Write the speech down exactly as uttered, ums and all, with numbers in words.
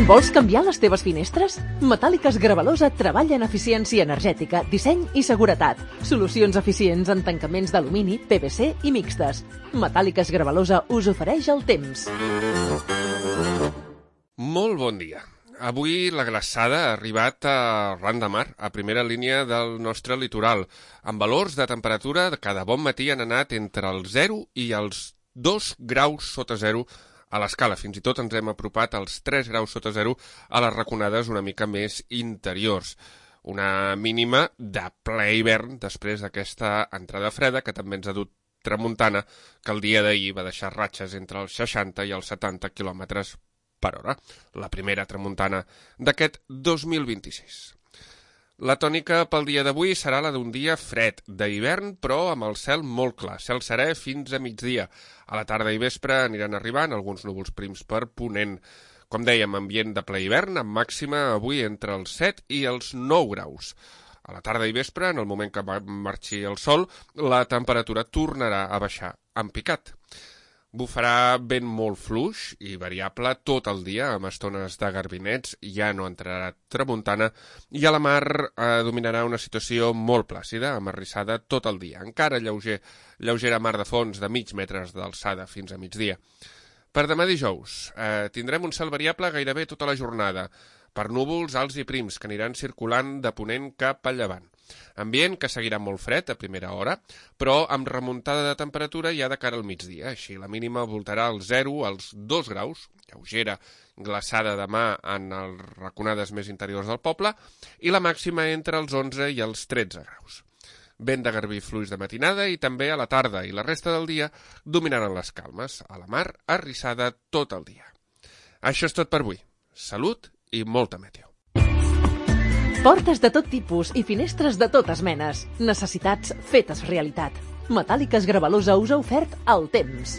Vols canviar les teves finestres? Metàl·liques Gravalosa treballa en eficiència energètica, disseny i seguretat. Solucions eficients en tancaments d'alumini, P V C i mixtes. Metàl·liques Gravalosa us ofereix el temps. Molt bon dia. Avui la glaçada ha arribat a ran de mar, a primera línia del nostre litoral, amb valors de temperatura que de bon matí han anat entre el zero i els dos graus sota zero a l'escala. Fins i tot ens hem apropat als tres graus sota zero a les raconades una mica més interiors. Una mínima de ple hivern després d'aquesta entrada freda que també ens ha dut tramuntana, que el dia d'ahir va deixar ratxes entre els seixanta i els setanta quilòmetres per hora, la primera tramuntana d'aquest dos mil vint-i-sis. La tònica pel dia d'avui serà la d'un dia fred, d'hivern, però amb el cel molt clar, cel serè fins a migdia. A la tarda i vespre aniran arribant alguns núvols prims per ponent. Com dèiem, ambient de ple hivern, amb màxima avui entre els set i els nou graus. A la tarda i vespre, en el moment que marxi el sol, la temperatura tornarà a baixar en picat. Bufarà vent molt fluix i variable tot el dia, amb estones de garbinets, ja no entrarà tramuntana, i a la mar eh, dominarà una situació molt plàcida, amarrissada tot el dia. Encara lleuger, lleugera mar de fons de mig metres d'alçada fins a migdia. Per demà dijous eh, tindrem un cel variable gairebé tota la jornada, per núvols alts i prims que aniran circulant de ponent cap a llevant. Ambient que seguirà molt fred a primera hora, però amb remuntada de temperatura ja de cara al migdia. Així la mínima voltarà al zero als dos graus, lleugera glaçada demà en les raconades més interiors del poble, i la màxima entre els onze i els tretze graus. Vent de garbí fluix de matinada i també a la tarda, i la resta del dia dominaran les calmes, a la mar arrissada tot el dia. Això és tot per avui. Salut i molta meteo. Portes de tot tipus i finestres de totes menes. Necessitats fetes realitat. Metàl·liques Gravalosa us ha ofert el temps.